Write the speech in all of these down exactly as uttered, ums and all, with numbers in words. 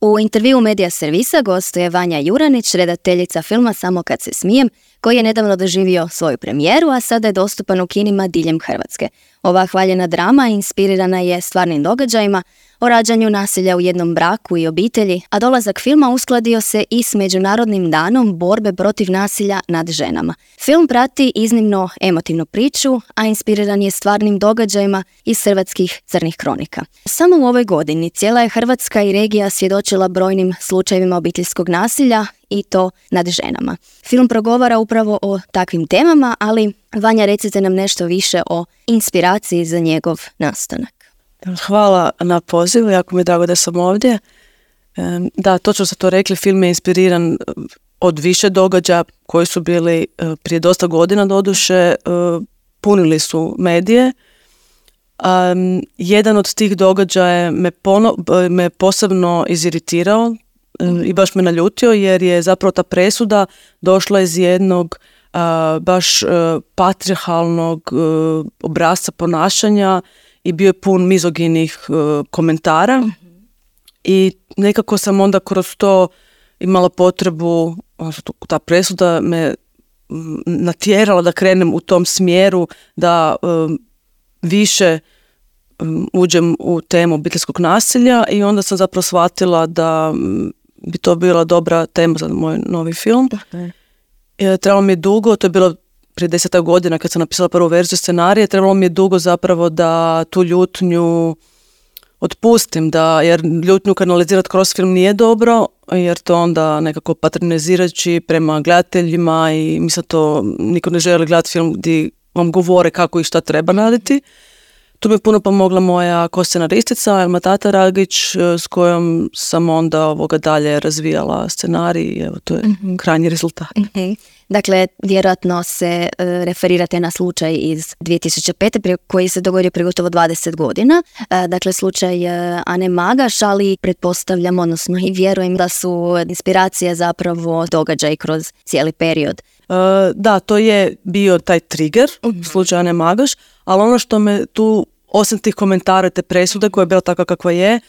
U intervju Medija servisa gostuje Vanja Juranić, redateljica filma Samo kad se smijem, koji je nedavno doživio svoju premijeru, a sada je dostupan u kinima diljem Hrvatske. Ova hvaljena drama inspirirana je stvarnim događajima o rađanju nasilja u jednom braku i obitelji, a dolazak filma uskladio se i s Međunarodnim danom borbe protiv nasilja nad ženama. Film prati iznimno emotivnu priču, a inspiriran je stvarnim događajima iz hrvatskih crnih kronika. Samo u ovoj godini cijela je Hrvatska i regija svjedočila brojnim slučajevima obiteljskog nasilja i to nad ženama. Film progovara upravo o takvim temama, ali Vanja, recite nam nešto više o inspiraciji za njegov nastanak. Hvala na pozivu, jako mi je drago da sam ovdje. Da, točno ste to rekli, film je inspiriran od više događaja koji su bili prije dosta godina doduše, punili su medije. Um, jedan od tih događaja me, pono, me posebno iziritirao i baš me naljutio, jer je zapravo ta presuda došla iz jednog uh, baš uh, patrijarhalnog uh, obrasca ponašanja i bio je pun mizoginih uh, komentara. Mm-hmm. I nekako sam onda kroz to imala potrebu, ta presuda me natjerala da krenem u tom smjeru, da um, više um, uđem u temu obiteljskog nasilja, i onda sam zapravo shvatila da um, bi to bila dobra tema za moj novi film. Okay. E, trebalo mi je dugo, to je bilo prije desetak godina kad sam napisala prvu verziju scenarija, trebalo mi je dugo zapravo da tu ljutnju otpustim, da, jer ljutnju kanalizirati kroz film nije dobro, jer to onda nekako patronizirajući prema gledateljima, i mislim to niko ne želi gledati film gdje vam govore kako i šta treba raditi. Tu mi je puno pomogla moja ko-scenaristica Elma Tataragić, s kojom sam onda ovoga dalje razvijala scenarij, i evo to je mm-hmm. krajnji rezultat. Mm-hmm. Dakle, vjerojatno se uh, referirate na slučaj iz dvije tisuće pete prije, koji se dogodio prije gotovo dvadeset godina. Uh, dakle, slučaj uh, Ane Magaš, ali pretpostavljam, odnosno i vjerujem da su inspiracije zapravo događaj kroz cijeli period. Uh, da, to je bio taj trigger, mm-hmm. slučaj Ane Magaš, ali ono što me tu, osim tih komentara, te presude koja je bila takva kakva je,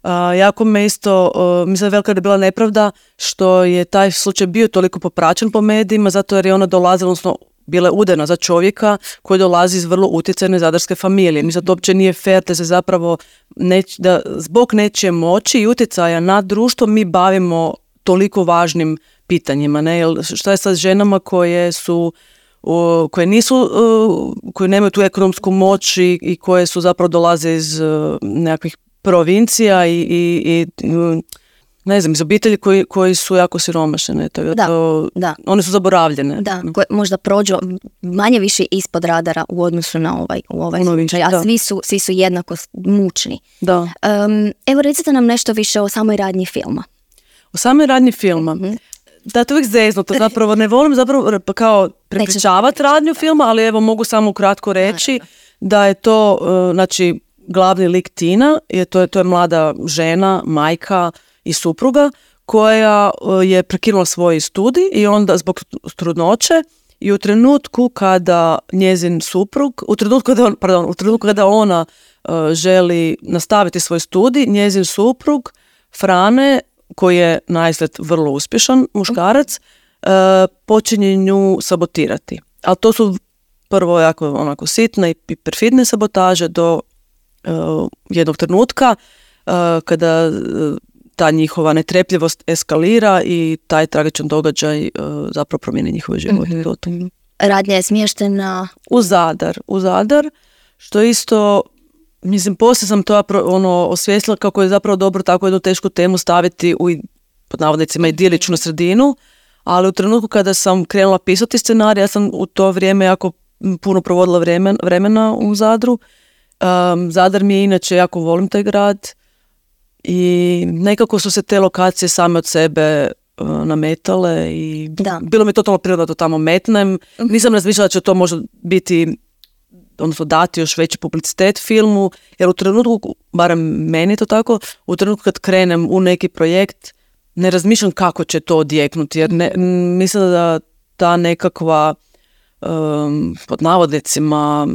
Uh, jako me isto, uh, mislim da je velika je bila nepravda što je taj slučaj bio toliko popraćen po medijima, zato jer je ona dolazila, odnosno bila je udana za čovjeka koji dolazi iz vrlo utjecajne zadarske familije. Mislim da to uopće nije fair da se zapravo neć, da zbog nečije moći i utjecaja na društvo mi bavimo toliko važnim pitanjima. Ne? Jel, šta je sa ženama koje su uh, koje nisu, uh, koje nemaju tu ekonomsku moć i, i koje su zapravo dolaze iz uh, nekakvih provincija i, i, i ne znam, iz obitelji koji, koji su jako siromašene. Tako da, to, da. One su zaboravljene. Da, koje možda prođu manje više ispod radara u odnosu na ovaj, u ovaj slučaj, a svi su, svi su jednako mučni. Da. Um, evo, recite nam nešto više o samoj radnji filma. O samoj radnji filma? Mm-hmm. Da, to uvijek zeznuto, zapravo ne volim zapravo kao prepričavati radnju filma, ali evo mogu samo ukratko reći da je to, uh, znači, glavni lik Tina, je, to, je, to je mlada žena, majka i supruga koja je prekinula svoj studij i onda zbog trudnoće, i u trenutku kada njezin suprug, u trenutku kada, on, pardon, u trenutku kada ona uh, želi nastaviti svoj studij, njezin suprug Frane, koji je naizgled vrlo uspješan muškarac, uh, počinje nju sabotirati. Ali to su prvo jako onako sitne i perfidne sabotaže do Uh, jednog trenutka uh, kada uh, ta njihova netrpljivost eskalira i taj tragičan događaj uh, zapravo promijeni njihove živote. Mm-hmm. Radnja je smještena u Zadar, u Zadar, što isto, mislim, poslije sam to ono, osvijestila kako je zapravo dobro tako jednu tešku temu staviti u, pod navodnicima, idiličnu sredinu, ali u trenutku kada sam krenula pisati scenarij, ja sam u to vrijeme jako puno provodila vremen, vremena u Zadru. Um, Zadar mi je inače, jako volim taj grad, i nekako su se te lokacije same od sebe uh, nametale i da. Bilo mi je totalno prirodno da to tamo metnem. Nisam razmišljala da će to možda biti, odnosno dati još veći publicitet filmu, jer u trenutku, barem meni je to tako, u trenutku kad krenem u neki projekt ne razmišljam kako će to odjeknuti, jer ne, mislim da ta nekakva um, pod navodnicima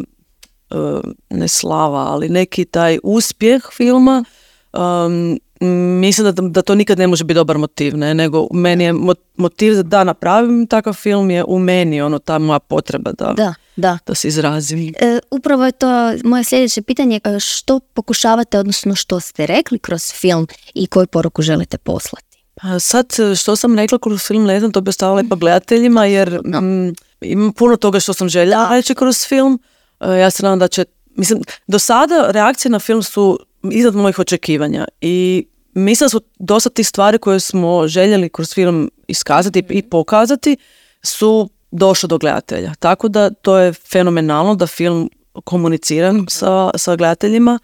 ne slava, ali neki taj uspjeh filma um, mislim da, da to nikad ne može biti dobar motiv, ne, nego meni je motiv da napravim takav film je u meni, ono, ta moja potreba da, da, da. da se izrazim. E, upravo je to moje sljedeće pitanje, što pokušavate, odnosno što ste rekli kroz film i koju poruku želite poslati? Pa sad, što sam rekla kroz film, ne znam, to bi ostavila i pa gledateljima, jer no. m, imam puno toga što sam željela reći kroz film. E, ja se nadam da će, mislim, do sada reakcije na film su iznad mojih očekivanja i mislim da su dosta tih stvari koje smo željeli kroz film iskazati i pokazati su došle do gledatelja. Tako da to je fenomenalno da film komunicira sa, sa gledateljima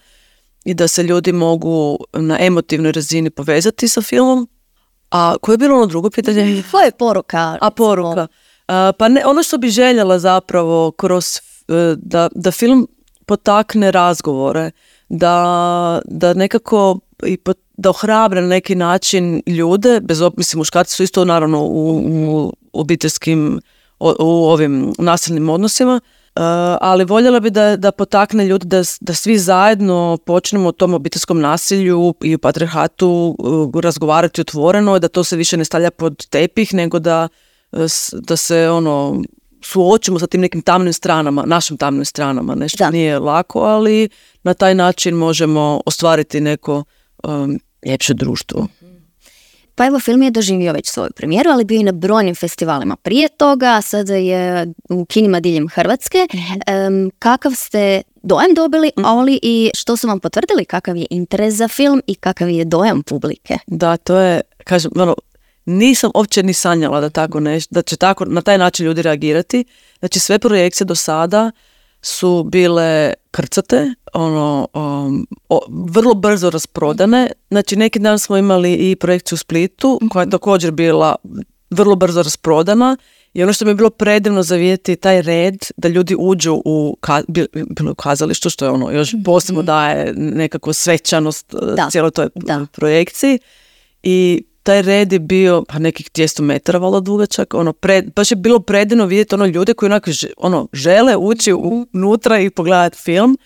i da se ljudi mogu na emotivnoj razini povezati sa filmom. A koje je bilo ono drugo pitanje? Koja je poruka? A poruka? A, pa ne, ono što bi željela zapravo kroz da, da film potakne razgovore, da, da nekako i pot, da ohrabre na neki način ljude, bez ob, mislim muškarci su isto naravno u, u obiteljskim, u, u ovim nasilnim odnosima, uh, ali voljela bi da, da potakne ljude da, da svi zajedno počnemo o tom obiteljskom nasilju i u patrijarhatu uh, razgovarati otvoreno, da to se više ne stavlja pod tepih, nego da, da se ono suočimo sa tim nekim tamnim stranama, našim tamnim stranama. Nešto da. Nije lako, ali na taj način možemo ostvariti neko um, ljepše društvo. Pa evo, film je doživio već svoju premijeru, ali bio i na brojnim festivalima prije toga, a sada je u kinima diljem Hrvatske. Um, kakav ste dojam dobili, ali i što su vam potvrdili, kakav je interes za film i kakav je dojam publike? Da, to je, kažem, ono, nisam uopće ni sanjala da tako neš, da će tako na taj način ljudi reagirati. Znači sve projekcije do sada su bile krcate, ono, um, o, vrlo brzo rasprodane. Znači neki dan smo imali i projekciju u Splitu koja je također bila vrlo brzo rasprodana i ono što mi je bilo predivno za vidjeti taj red da ljudi uđu u, ka, bilo u kazalištu, što je ono još posebno daje nekako svečanost da. cijeloj toj da. projekciji i taj red je bio pa nekih dvjesto metara valjda dugačak, ono, pred, baš je bilo predivno vidjeti ono ljude koji onako ono, žele ući unutra i pogledati film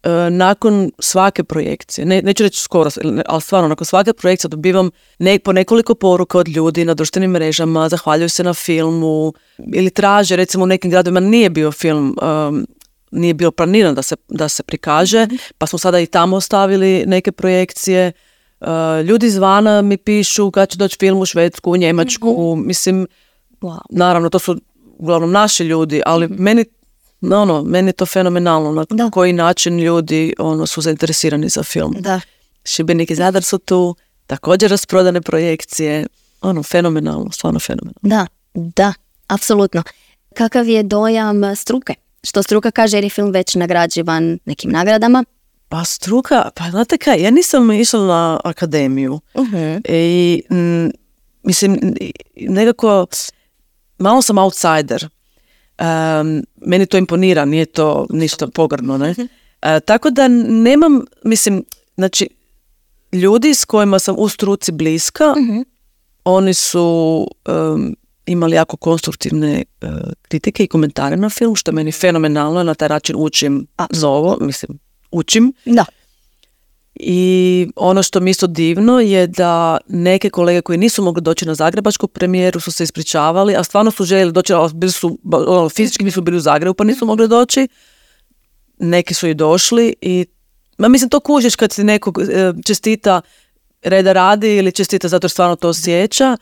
e, nakon svake projekcije. Ne, neću reći skoro, ali stvarno nakon svake projekcije dobivam ne, po nekoliko poruka od ljudi na društvenim mrežama, zahvaljuju se na filmu ili traže, recimo u nekim gradovima nije bio film, um, nije bio planiran da se, da se prikaže, pa smo sada i tamo ostavili neke projekcije. Uh, ljudi izvana mi pišu kad će doći film u Švedsku, u Njemačku, mm-hmm. mislim, wow. naravno to su uglavnom naši ljudi, ali mm-hmm. meni, ono, meni je to fenomenalno na da. koji način ljudi ono, su zainteresirani za film. Da. Šibenik i Zadar su tu, također rasprodane projekcije, ono, fenomenalno, stvarno fenomenalno. Da, da, apsolutno. Kakav je dojam struke? Što struka kaže jer je film već nagrađivan nekim nagradama? Pa struka, pa znate kaj, ja nisam išla na akademiju uh-huh. i m, mislim, nekako malo sam outsider. Um, meni to imponira, nije to ništa pogrdno, ne? Uh-huh. Uh, tako da nemam, mislim, znači, ljudi s kojima sam u struci bliska, uh-huh. oni su um, imali jako konstruktivne uh, kritike i komentare na film, što je meni fenomenalno, na taj način učim za ovo, mislim, učim. Da. I ono što mi isto divno je da neke kolege koji nisu mogli doći na zagrebačku premijeru su se ispričavali, a stvarno su željeli doći, ali bili su, ono, fizički nisu bili u Zagrebu pa nisu mogli doći. Neki su i došli i ma, mislim to kužiš kad ti nekog e, čestita reda radi ili čestita zato jer stvarno to osjeća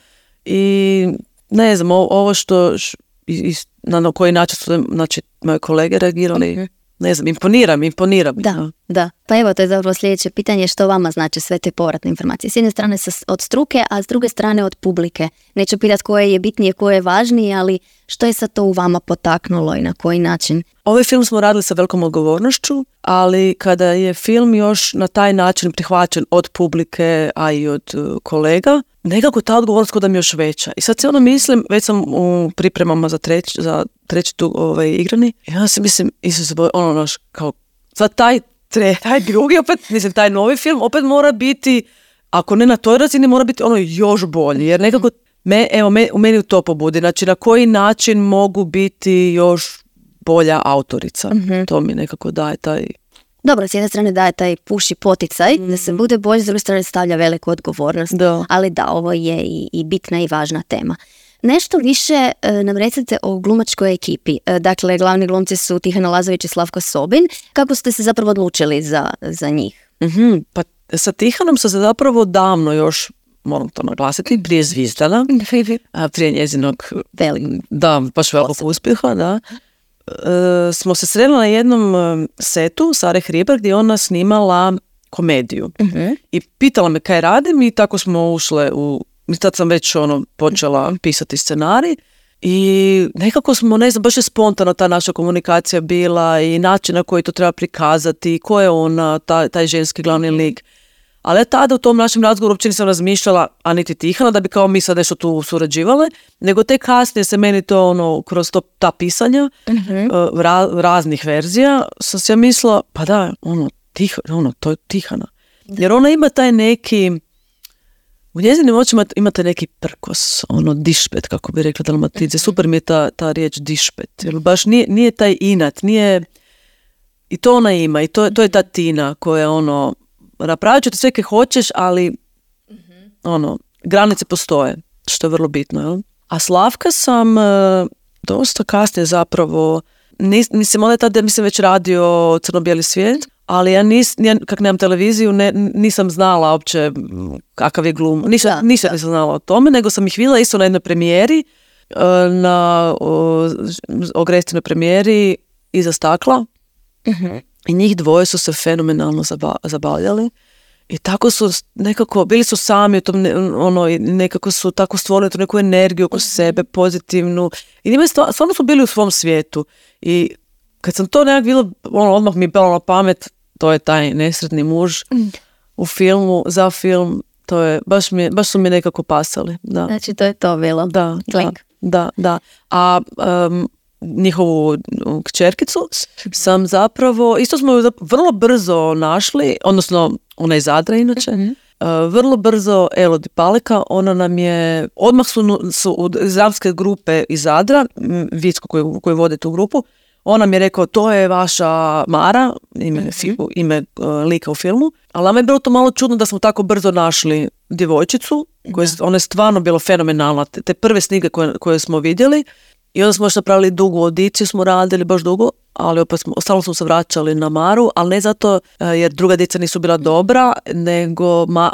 i ne znam, ovo što š, i, na koji način su znači, moje kolege reagirali okay. Ne znam, imponiram, imponiram. Da, no. da. Pa evo, to je zapravo sljedeće pitanje, što vama znači sve te povratne informacije. S jedne strane od struke, a s druge strane od publike. Neću pitati koje je bitnije, koje je važnije, ali što je sad to u vama potaknulo i na koji način? Ovaj film smo radili sa velikom odgovornošću, ali kada je film još na taj način prihvaćen od publike, a i od uh, kolega, nekako ta odgovornost kod da mi je još veća. I sad se ono mislim, već sam u pripremama za treći, za treći tu ovaj, igrani, i ja se mislim, Isuse, ono naš, kao, sad taj, tre, taj drugi, opet, mislim, taj novi film opet mora biti, ako ne na toj razini, mora biti ono još bolji, jer nekako, me, evo, me, u meni to pobudi, znači na koji način mogu biti još bolja autorica. Mm-hmm. To mi nekako daje taj... Dobro, s jedne strane daje taj puši poticaj mm. da se bude bolje, s druge strane stavlja veliku odgovornost. Da. Ali da, ovo je i, i bitna i važna tema. Nešto više e, nam recite o glumačkoj ekipi. E, dakle, glavni glumci su Tihana Lazović i Slavko Sobin. Kako ste se zapravo odlučili za, za njih? Mm-hmm. Pa sa Tihanom sam se zapravo davno još, moram to naglasiti, prije Zvizdana, prije njezinog Velik. da, baš velikog uspjeha, da. E, smo se sreli na jednom setu Sare Hribar gdje je ona snimala komediju. Uh-huh. I pitala me kaj radim i tako smo ušle u... I tad sam već ono, počela pisati scenarij i nekako smo, ne znam, baš je spontano ta naša komunikacija bila i način na koji to treba prikazati, ko je ona, taj, taj ženski glavni lik. Ali ja tada u tom našem razgovoru uopće nisam razmišljala, a niti Tihana, da bi kao mi sad nešto tu surađivale, nego te kasnije se meni to ono, kroz to, ta pisanja uh-huh. ra, raznih verzija, sam se ja mislila, pa da, ono, Tih, ono, to je Tihana. Jer ona ima taj neki, u njezinim očima imate neki prkos, ono, dišpet, kako bi rekla Dalmatidze. Super mi je ta, ta riječ dišpet, jer baš nije, nije taj inat, nije, i to ona ima, i to, to je ta Tina koja ono, napravit ću te sve kaj hoćeš, ali mm-hmm. ono, granice postoje, što je vrlo bitno. Jel? A Slavka sam uh, dosta kasnije zapravo, nis, mislim, onda je tada, mislim, već radio Crno-bijeli svijet, ali ja nis, ja, kak nemam televiziju, ne, nisam znala uopće kakav je glum. Nisam, da, nisam, da. nisam znala o tome, nego sam ih vidjela isto na jednoj premijeri, uh, na Ogrestinoj premijeri Iza stakla. Mm-hmm. I njih dvoje su se fenomenalno zaba, zabavljali i tako su nekako, bili su sami u tom, ono, nekako su tako stvorili tu neku energiju oko sebe, pozitivnu i njima stvarno su bili u svom svijetu i kad sam to nekak vidjela, ono, odmah mi je palo na pamet, to je taj nesretni muž u filmu, za film, to je, baš, mi, baš su mi nekako pasali. Da. Znači to je to bilo. Da, da, da, da. A um, njihovu kćerkicu sam zapravo, isto smo ju vrlo brzo našli, odnosno ona je iz Zadra inače, mm-hmm. uh, vrlo brzo Elodie Paleka, ona nam je, odmah su, su iz Zavske grupe iz Zadra, Vicko koji, koji vodi tu grupu, on nam je rekao, to je vaša Mara, ime, mm-hmm. ime uh, lika u filmu, ali nama je bilo to malo čudno da smo tako brzo našli djevojčicu, koja je, ona je stvarno bilo fenomenalna, te, te prve snige koje, koje smo vidjeli. I onda smo još napravili dugu audiciju, smo radili baš dugo, ali opet smo, ostalo smo se vraćali na Maru, ali ne zato jer druga djeca nisu bila dobra, nego ma,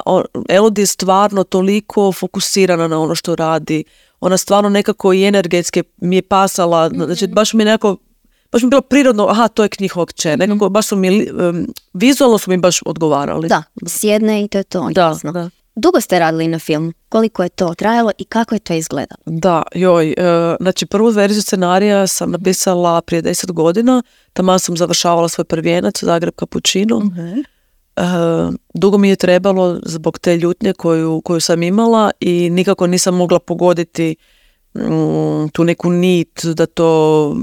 Elodie je stvarno toliko fokusirana na ono što radi. Ona stvarno nekako i energetski mi je pasala, mm-hmm. znači baš mi je nekako, baš mi je bilo prirodno, aha, to je njihova kćer, nekako baš su mi, um, vizualno su mi baš odgovarali. Da, sjedne i to je to. Da, jasno. Da. Dugo ste radili na film. Koliko je to trajalo i kako je to izgledalo? Da, joj, e, znači prvu verziju scenarija sam napisala prije deset godina, tamo sam završavala svoj prvijenac u Zagreb Kapućinu. Uh-huh. E, dugo mi je trebalo zbog te ljutnje koju, koju sam imala i nikako nisam mogla pogoditi mm, tu neku nit da to,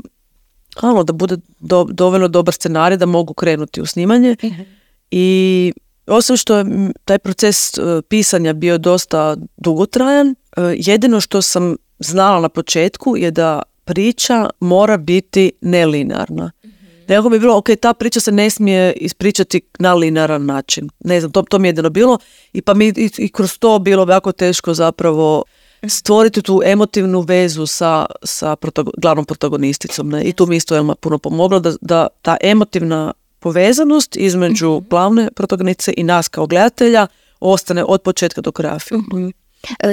ano, da bude do, dovoljno dobar scenarij da mogu krenuti u snimanje. Uh-huh. I osim što je taj proces uh, pisanja bio dosta dugotrajan, uh, jedino što sam znala na početku je da priča mora biti nelinearna. Mm-hmm. Nekako mi je bilo, ok, ta priča se ne smije ispričati na linearan način. Ne znam, to, to mi je jedino bilo i pa mi i, i kroz to bilo jako teško zapravo stvoriti tu emotivnu vezu sa, sa protago, glavnom protagonisticom. Ne? I tu mi isto Elma puno pomogla da, da ta emotivna povezanost između mm-hmm. glavne protagonice i nas kao gledatelja ostane od početka do kraja filma. Mm-hmm.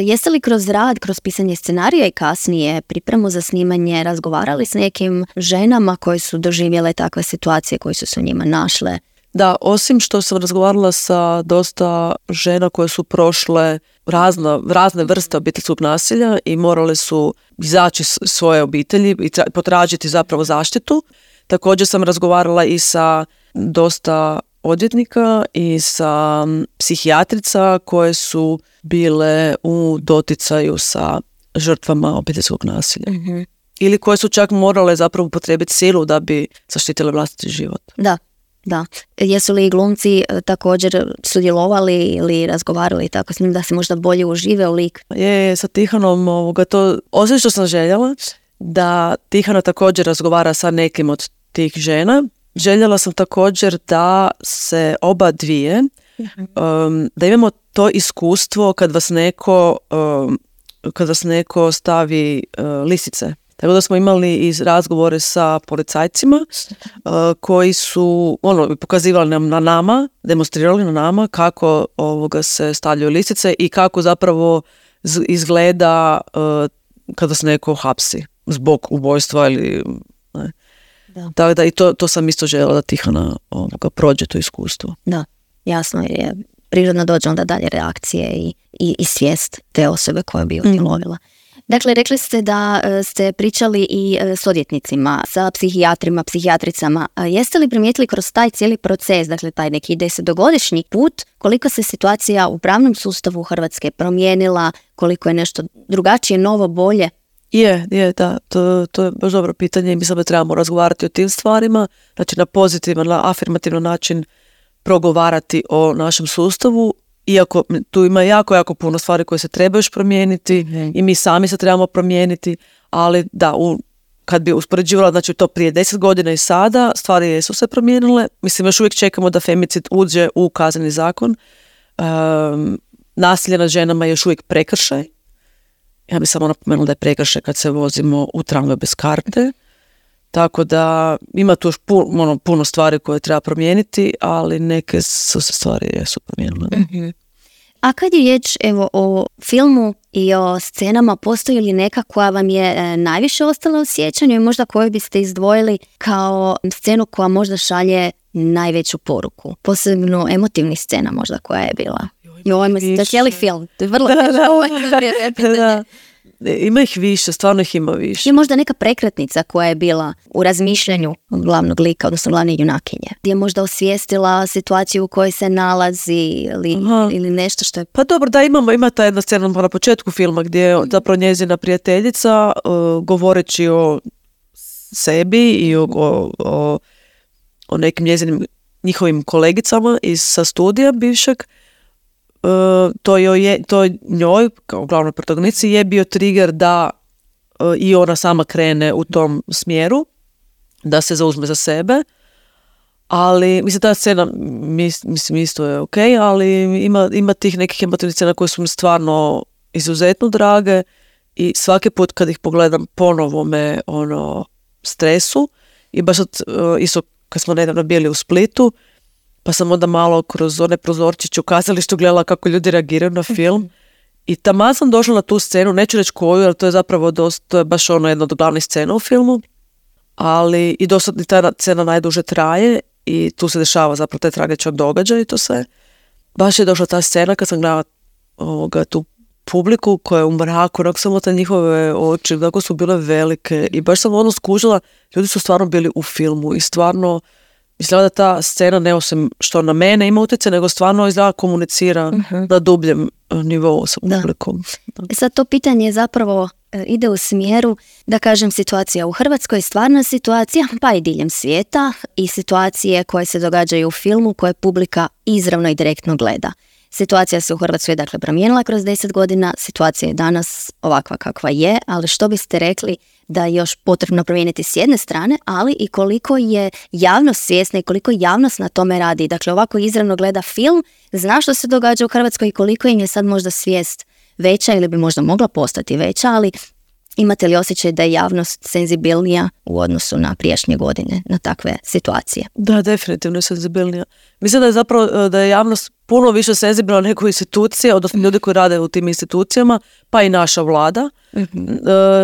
Jeste li kroz rad, kroz pisanje scenarija i kasnije pripremu za snimanje razgovarali s nekim ženama koje su doživjele takve situacije koje su se u njima našle? Da, osim što sam razgovarala sa dosta žena koje su prošle razna, razne vrste obiteljskog nasilja i morale su izaći svoje obitelji i tra- potražiti zapravo zaštitu. Također sam razgovarala i sa dosta odvjetnika i sa psihijatrica koje su bile u doticaju sa žrtvama obiteljskog nasilja. Mm-hmm. Ili koje su čak morale zapravo upotrijebiti silu da bi zaštitile vlastiti život. Da, da. Jesu li glumci također sudjelovali ili razgovarali tako s njim da se možda bolje užive u lik? Je, sa Tihanom ovoga to, osim što sam željela, da Tihana također razgovara sa nekim od tih žena, željela sam također da se oba dvije, um, da imamo to iskustvo kad vas neko, um, kad vas neko stavi uh, lisice. Tako da smo imali i razgovore sa policajcima uh, koji su ono, pokazivali nam na nama, demonstrirali na nama kako ovoga se stavljaju lisice i kako zapravo z- izgleda uh, kada se neko hapsi zbog ubojstva ili ne. Da. Tako da i to, to sam isto željela da Tihana ovoga prođe to iskustvo. Da, jasno je. Prirodno dođe onda dalje reakcije i, i, i svijest te osobe koja bi utjelovila. Mm. Dakle, rekli ste da e, ste pričali i e, s odvjetnicima, sa psihijatrima, psihijatricama. A jeste li primijetili kroz taj cijeli proces, dakle taj neki desetogodišnji put, koliko se situacija u pravnom sustavu Hrvatske promijenila, koliko je nešto drugačije, novo, bolje? Je, je, da, to, to je baš dobro pitanje i mislim da trebamo razgovarati o tim stvarima, znači na pozitivan, na afirmativan način progovarati o našem sustavu, iako tu ima jako, jako puno stvari koje se trebaju još promijeniti mm-hmm. i mi sami se trebamo promijeniti, ali da, u, kad bi uspoređivala znači to prije deset godina i sada, stvari su se promijenile, mislim još uvijek čekamo da femicid uđe u kazneni zakon, um, nasilje nad ženama je još uvijek prekršaj. Ja bih samo napomenula da je prekršaj kad se vozimo u tramvaju bez karte. Tako da ima tu još puno, ono, puno stvari koje treba promijeniti, ali neke su se stvari jesu promijenile. Mm-hmm. A kad je riječ evo, o filmu i o scenama, postoji li neka koja vam je e, najviše ostala u sjećanju i možda koju biste izdvojili kao scenu koja možda šalje najveću poruku? Posebno emotivnih scena možda koja je bila. Joj, mislim, to je cijeli film. To je vrlo da, da, da. Ima ih više, stvarno ih ima više. Je možda neka prekretnica koja je bila u razmišljanju glavnog lika, odnosno glavne junakinje. Gdje je možda osvijestila situaciju u kojoj se nalazi ili, ili nešto što je... Pa dobro, da imamo, ima ta jedna scena na početku filma gdje je zapravo njezina prijateljica uh, govoreći o sebi i o, o, o, o nekim njezinim njihovim kolegicama iz sa studija bivšeg. Uh, to, je, to njoj, kao glavnoj protagonici, je bio trigger da uh, i ona sama krene u tom smjeru, da se zauzme za sebe, ali mislim ta scena mis, mislim isto je ok, ali ima, ima tih nekih emotivnih scena koje su mi stvarno izuzetno drage i svaki put kad ih pogledam ponovo me ono stresu i baš od, uh, isto kad smo nedavno bili u Splitu, pa sam onda malo kroz one prozorčiće u kazalištu gledala kako ljudi reagiraju na film i taman sam došla na tu scenu, neću reći koju, jer to je zapravo dosta, to je baš ono jedna od glavnih scena u filmu, ali i dosta i ta scena najduže traje i tu se dešava zapravo taj tragičan događaj i to sve. Baš je došla ta scena kad sam gledala ovoga, tu publiku koja je u mraku, onako samo te njihove oči, tako su bile velike i baš sam ono skužila, ljudi su stvarno bili u filmu i stvarno izgleda da ta scena ne osim što na mene ima utjecaj, nego stvarno izgleda komunicira uh-huh. na dubljem nivou sa publikom. Da. Da. Sad to pitanje zapravo e, ide u smjeru, da kažem, situacija u Hrvatskoj, stvarna situacija, pa i diljem svijeta i situacije koje se događaju u filmu koje publika izravno i direktno gleda. Situacija se u Hrvatskoj dakle promijenila kroz deset godina, situacija je danas ovakva kakva je, ali što biste rekli da je još potrebno promijeniti s jedne strane, ali i koliko je javnost svjesna i koliko javnost na tome radi. Dakle, ovako izravno gleda film, zna što se događa u Hrvatskoj i koliko im je sad možda svijest veća ili bi možda mogla postati veća, ali imate li osjećaj da je javnost senzibilnija u odnosu na prijašnje godine, na takve situacije? Da, definitivno je senzibilnija. Mislim da je zapravo da je javnost puno više senzibilna nego institucije, odnosno ljudi koji rade u tim institucijama, pa i naša vlada. Mm-hmm.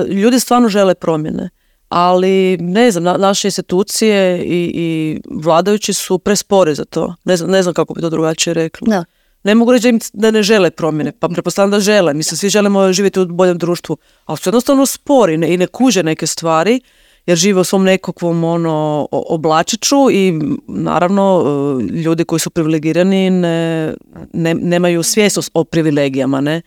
Ljudi stvarno žele promjene, ali ne znam, na, naše institucije i, i vladajući su prespori za to. Ne znam, ne znam kako bi to drugačije rekla. Da. Ne mogu reći da, im, da ne žele promjene, pa pretpostavljam da žele. Mislim, svi želimo živjeti u boljem društvu, ali su jednostavno spori ne, i ne kuže neke stvari, jer žive u svom nekakvom ono, oblačiću i naravno ljudi koji su privilegirani ne, ne, nemaju svijest o privilegijama, ne?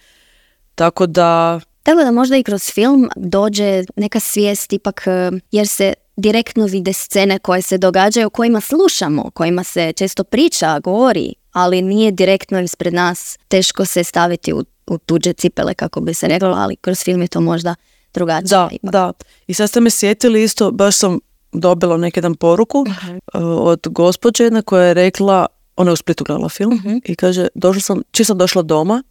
Tako da... Tako da možda i kroz film dođe neka svijest ipak, jer se direktno vide scene koje se događaju, o kojima slušamo, o kojima se često priča, govori, ali nije direktno ispred nas, teško se staviti u, u tuđe cipele, kako bi se reklo, ali kroz film je to možda drugačije. Da, ipak. da. I sad ste me sjetili isto, baš sam dobila neki dan poruku uh-huh. od gospođe jedna koja je rekla, ona je u Splitu gledala film uh-huh. i kaže, došla sam, čim sam došla doma,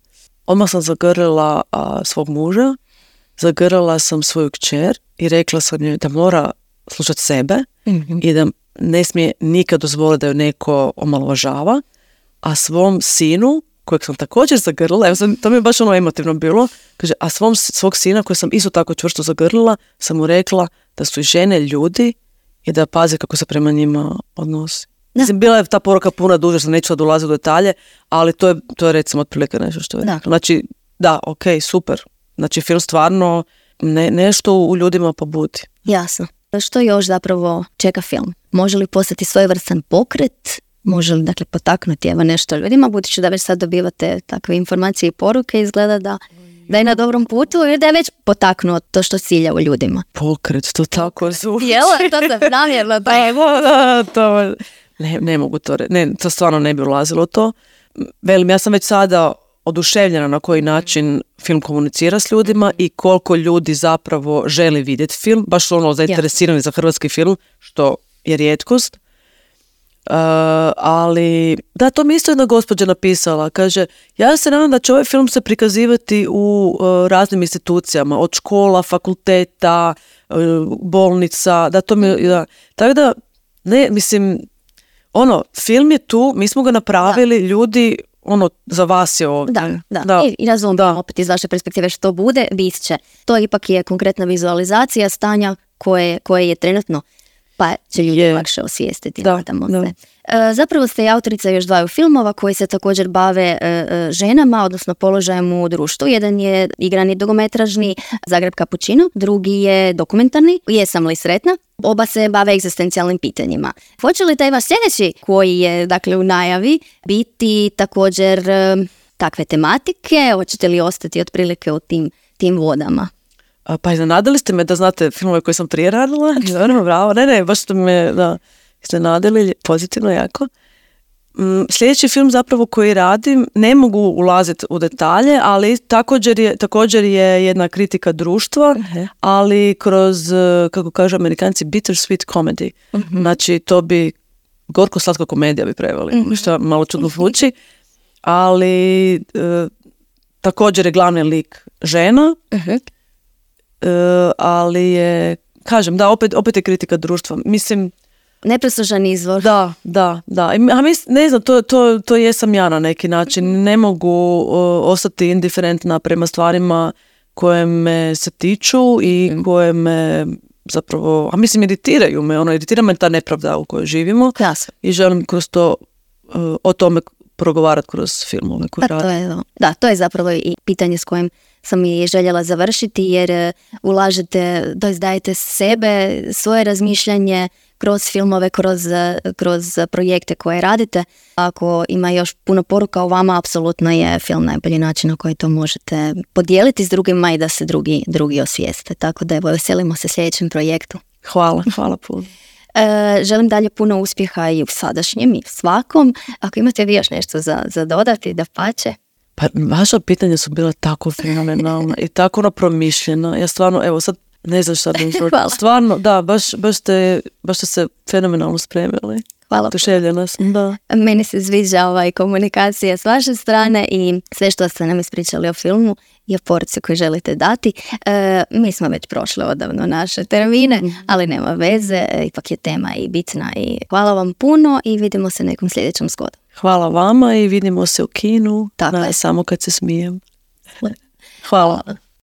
odmah sam zagrlila a, svog muža, zagrlila sam svoju kćer i rekla sam joj da mora slušati sebe uh-huh. i da ne smije nikad dozvoliti da ju neko omalovažava, a svom sinu, kojeg sam također zagrlila, evo sam, to mi je baš ono emotivno bilo, kaže, a svom, svog sina koji sam isto tako čvrsto zagrlila, sam mu rekla da su i žene ljudi i da pazi kako se prema njima odnosi. Mislim, bila je ta poruka puna duže, što neću sad ulaziti u detalje, ali to je, to je recimo otprilike nešto što je. Da. Znači, da, ok, super. Znači, film stvarno ne, nešto u ljudima pobudi. Jasno. Što još zapravo čeka film? Može li postati svojevrstan pokret? Može li, dakle, potaknuti evo nešto ljudima, budući da već sad dobivate takve informacije i poruke, izgleda da, da je na dobrom putu i da je već potaknuo to što cilja u ljudima. Pokret, to tako zvuči. Jel, to se namjerno. Pa evo, to... Ne, ne mogu to reći, ne, to stvarno ne bi ulazilo to. Velim, ja sam već sada oduševljena na koji način film komunicira s ljudima i koliko ljudi zapravo želi vidjeti film, baš su ono zainteresirani ja. za hrvatski film, što je rijetkost. Uh, ali, da, to mi isto jedna gospođa napisala, kaže, ja se nadam da će ovaj film se prikazivati u uh, raznim institucijama, od škola, fakulteta, uh, bolnica, da to mi, da, tako da, ne, mislim, ono, film je tu, mi smo ga napravili, da. ljudi, ono, za vas je ovdje. Da, da. da. I, i razumijem opet iz vaše perspektive što bude, bit će. To ipak je konkretna vizualizacija stanja koje, koje je trenutno, pa će ljudi je. lakše osvijestiti. Da, da. Se. E, zapravo ste i autorica još dvaju filmova koji se također bave e, e, ženama, odnosno položajem u društvu. Jedan je igrani dugometražni Zagreb Kapućino, drugi je dokumentarni Jesam li sretna? Oba se bave egzistencijalnim pitanjima. Hoće li taj vaš sljedeći, koji je dakle u najavi, biti također e, takve tematike? Hoćete li ostati otprilike u tim, tim vodama? A, pa iznenadili ste me da znate filmove koje sam prije radila. Dobro, bravo. Ne, ne, baš ste me da, iznenadili pozitivno jako. Mm, sljedeći film zapravo koji radim, ne mogu ulaziti u detalje, ali također je, također je jedna kritika društva, uh-huh. ali kroz, kako kažu Amerikanci, bittersweet comedy. Uh-huh. Znači, to bi gorko-slatka komedija bi preveli, uh-huh. što malo čudno zvuči, ali e, također je glavni lik žena, uh-huh. e, ali je, kažem, da, opet, opet je kritika društva. Mislim, nepresužan izvor. Da, da, da. A mis, ne znam, to, to, to jesam ja na neki način. Ne mogu o, ostati indiferentna prema stvarima koje me se tiču i mm. koje me zapravo, a mislim, iritiraju me. Ono, iritira me ta nepravda u kojoj živimo. Jasno. I želim kroz to, uh, o tome progovarati kroz filmove koje pa to je, da, to je zapravo i pitanje s kojim sam i željela završiti, jer ulažete, dajete sebe, svoje razmišljanje kroz filmove, kroz, kroz projekte koje radite. Ako ima još puno poruka o vama, apsolutno je film najbolji način na koji to možete podijeliti s drugima i da se drugi, drugi osvijeste. Tako da evo, veselimo se sljedećem projektu. Hvala, hvala puno. E, želim dalje puno uspjeha i u sadašnjem i u svakom. Ako imate vi još nešto za, za dodati, da pače. Pa vaša pitanja su bila tako fenomenalna i tako ono promišljena. Ja stvarno, evo sad ne znam šta da mi stvarno, da, baš, baš, ste, baš ste se fenomenalno spremili. Hvala. Oduševljena sam, da. Meni se sviđa ovaj komunikacija s vaše strane i sve što ste nam ispričali o filmu i o poruci koju želite dati. E, mi smo već prošli odavno naše termine, ali nema veze, ipak je tema i bitna i hvala vam puno i vidimo se nekom sljedećem zgodom. Hvala vama i vidimo se u kinu. Tako na, je. Samo kad se smijem. Hvala. Hvala.